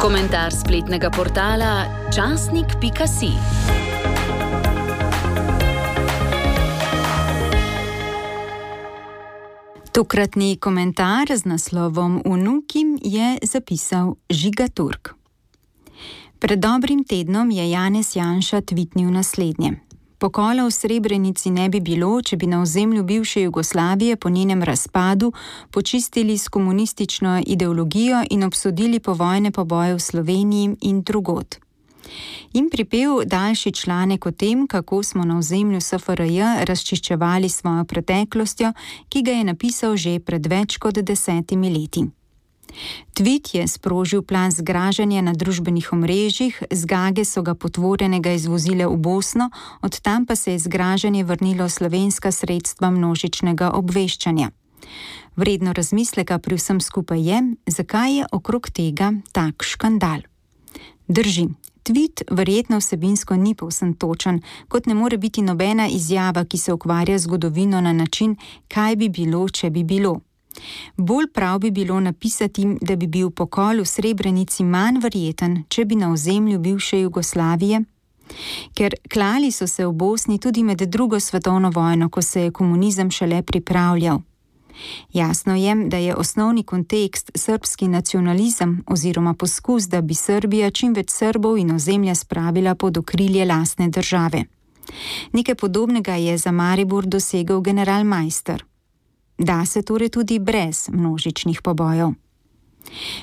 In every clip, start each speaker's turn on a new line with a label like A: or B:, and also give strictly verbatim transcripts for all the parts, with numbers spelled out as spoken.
A: Komentar spletnega portala časnik pika si. Tokratni komentar z naslovom Vnukim je zapisal Žiga Turk. Pred dobrim tednom je Janez Janša tvitnil naslednje. Pokola v Srebrenici ne bi bilo, če bi na ozemlju bivše Jugoslavije po njenem razpadu počistili s komunistično ideologijo in obsodili povojne poboje v Sloveniji in drugod. In pripel daljši članek o tem, kako smo na ozemlju S F R J razčiščevali svojo preteklostjo, ki ga je napisal že pred več kot desetimi leti. Tvit je sprožil plan zgražanja na družbenih omrežjih, zgage so ga potvorenega izvozile v Bosno, od tam pa se je zgražanje vrnilo slovenska sredstva množičnega obveščanja. Vredno razmisleka pri vsem skupaj je, zakaj je okrog tega tak škandal. Drži. Tvit verjetno vsebinsko ni povsem točen, kot ne more biti nobena izjava, ki se ukvarja z zgodovino na način, kaj bi bilo, če bi bilo. Bolj prav bi bilo napisati, da bi bil pokol v Srebrenici manj verjeten, če bi na ozemlju bivše Jugoslavije, ker klali so se v Bosni tudi med drugo svetovno vojno, ko se je komunizem šele pripravljal. Jasno je, da je osnovni kontekst srbski nacionalizem oziroma poskus, da bi Srbija čim več Srbov in ozemlja spravila pod okrilje lastne države. Nekaj podobnega je za Maribor dosegel general Meister. Da se torej tudi brez množičnih pobojev.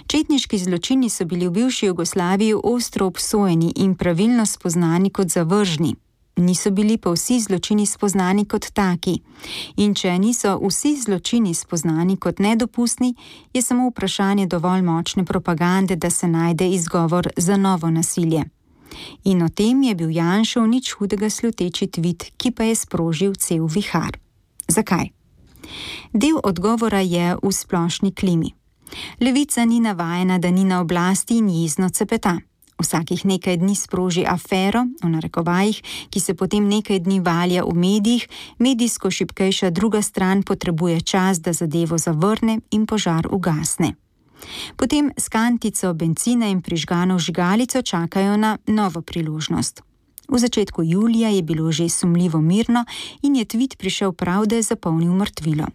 A: Četniški zločini so bili v bivši Jugoslaviji ostro obsojeni in pravilno spoznani kot zavržni. Niso bili pa vsi zločini spoznani kot taki. In če niso vsi zločini spoznani kot nedopustni, je samo vprašanje dovolj močne propagande, da se najde izgovor za novo nasilje. In o tem je bil Janšev nič hudega sluteči tvit, ki pa je sprožil cel vihar. Zakaj? Del odgovora je v splošni klimi. Levica ni navajena, da ni na oblasti in jezno cepeta. Vsakih nekaj dni sproži afero, v narekovajih, ki se potem nekaj dni valja v medijih, medijsko šibkejša druga stran potrebuje čas, da zadevo zavrne in požar ugasne. Potem s kantico bencina in prižgano žigalico čakajo na novo priložnost. V začetku julija je bilo že sumljivo mirno in je tvit prišel prav, da je zapolnil mrtvilo.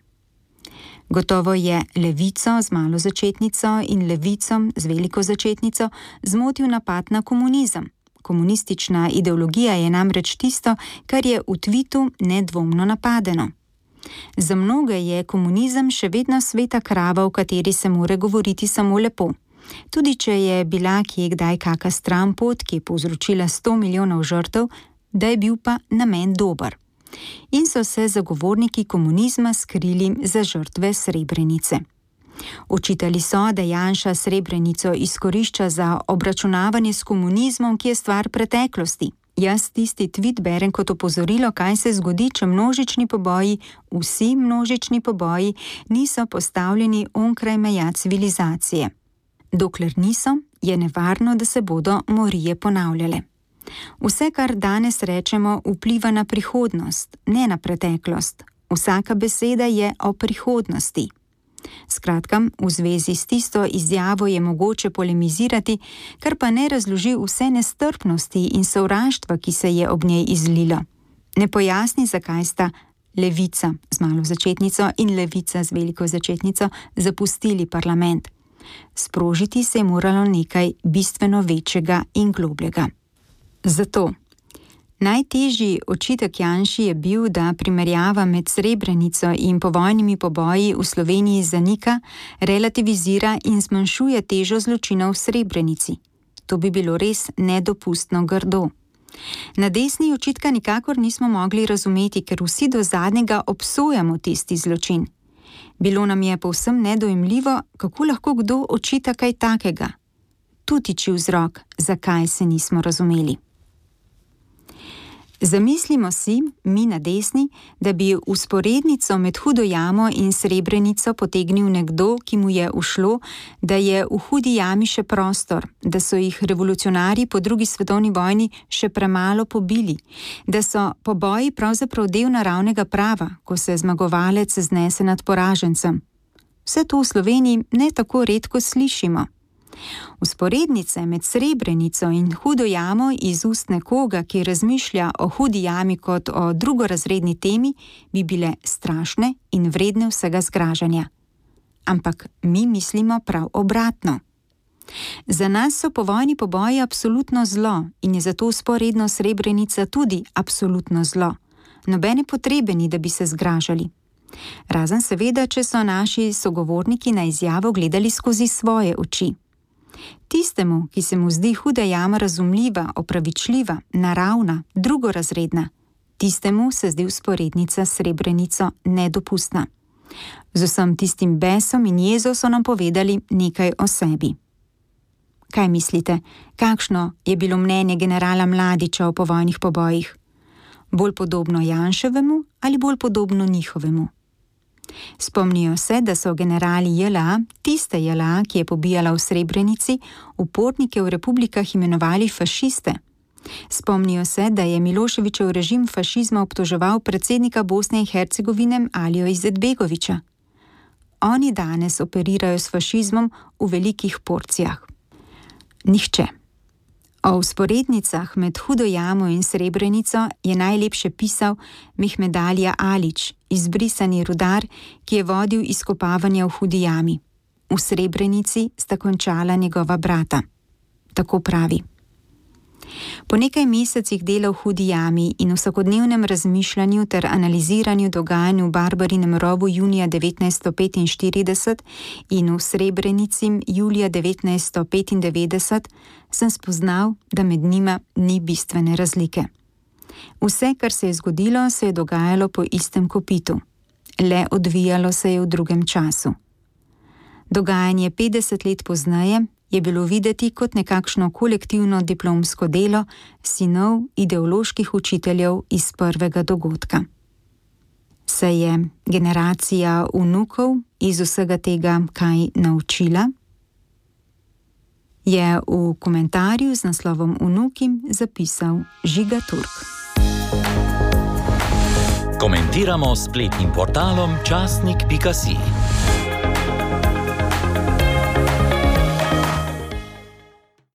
A: Gotovo je levico z malo začetnico in levicom z veliko začetnico zmotil napad na komunizem. Komunistična ideologija je namreč tisto, kar je v tvitu nedvomno napadeno. Za mnoge je komunizem še vedno sveta krava, v kateri se more govoriti samo lepo. Tudi če je bila kje kdaj kaka stranpot, ki je povzročila sto milijonov žrtev, da je bil pa namen dober. In so se zagovorniki komunizma skrili za žrtve Srebrenice. Očitali so, da Janša Srebrenico izkorišča za obračunavanje s komunizmom, ki je stvar preteklosti. Jaz tisti tvit berem kot opozorilo, kaj se zgodi, če množični poboji, vsi množični poboji, niso postavljeni onkraj meja civilizacije. Dokler niso, je nevarno, da se bodo morije ponavljale. Vse, kar danes rečemo, vpliva na prihodnost, ne na preteklost. Vsaka beseda je o prihodnosti. Skratka, v zvezi s tisto izjavo je mogoče polemizirati, kar pa ne razloži vse nestrpnosti in sovraštva, ki se je ob njej izlilo. Ne pojasni, zakaj sta levica z malo začetnico in levica z veliko začetnico zapustili parlament. Sprožiti se je moralo nekaj bistveno večjega in globljega. Zato najtežji očitek Janši je bil, da primerjava med Srebrenico in povojnimi poboji v Sloveniji zanika, relativizira in zmanjšuje težo zločinov v Srebrenici. To bi bilo res nedopustno grdo. Na desni očitka nikakor nismo mogli razumeti, ker vsi do zadnjega obsojamo tisti zločin. Bilo nam je povsem nedojemljivo, kako lahko kdo očita kaj takega. Tu tiči vzrok, zakaj se nismo razumeli. Zamislimo si, mi na desni, da bi usporednico med Hudo jamo in Srebrenico potegnil nekdo, ki mu je ušlo, da je v Hudi jami še prostor, da so jih revolucionarji po drugi svetovni vojni še premalo pobili, da so poboji pravzaprav del naravnega prava, ko se zmagovalec znese nad poražencem. Vse to v Sloveniji ne tako redko slišimo. Vzporednice med Srebrenico in Hudo jamo iz ust nekoga, ki razmišlja o Hudi jami kot o drugorazredni temi, bi bile strašne in vredne vsega zgražanja. Ampak mi mislimo prav obratno. Za nas so povojni poboji absolutno zlo in je zato vzporedno Srebrenica tudi absolutno zlo. Nobene potrebe ni, da bi se zgražali. Razen seveda, če so naši sogovorniki na izjavo gledali skozi svoje oči. Tistemu, ki se mu zdi Huda jama razumljiva, opravičljiva, naravna, drugorazredna, tistemu se zdi vzporednica s Srebrenico nedopustna. Z vsem tistim besom in jezo so nam povedali nekaj o sebi. Kaj mislite, kakšno je bilo mnenje generala Mladića o povojnih pobojih? Bolj podobno Janševemu ali bolj podobno njihovemu? Spomnijo se, da so generali J L A, tiste J L A, ki je pobijala v Srebrenici, upornike v republikah imenovali fašiste. Spomnijo se, da je Miloševićev režim fašizma obtoževal predsednika Bosne in Hercegovine Alijo Izetbegovića. Oni danes operirajo s fašizmom v velikih porcijah. Nihče. O vzporednicah med Hudo jamo in Srebrenico je najlepše pisal Mehmed Alija Alić, izbrisani rudar, ki je vodil izkopavanja v Hudi jami. V Srebrenici sta končala njegova brata. Tako pravi. Po nekaj mesecih dela v Hudi jami in vsakodnevnem razmišljanju ter analiziranju dogajanj v Barbarinem rovu junija devetnajststo petinštirideset in v Srebrenici julija devetnajststo petindevetdeset, sem spoznal, da med njima ni bistvene razlike. Vse, kar se je zgodilo, se je dogajalo po istem kopitu. Le odvijalo se je v drugem času. Dogajanje petdeset let pozneje je bilo videti kot nekakšno kolektivno diplomsko delo sinov ideoloških učiteljev iz prvega dogodka. Se je generacija vnukov iz vsega tega kaj naučila? Je v komentarju z naslovom Vnuki zapisal Žiga Turk.
B: Komentiramo s spletnim portalom časnik pika si.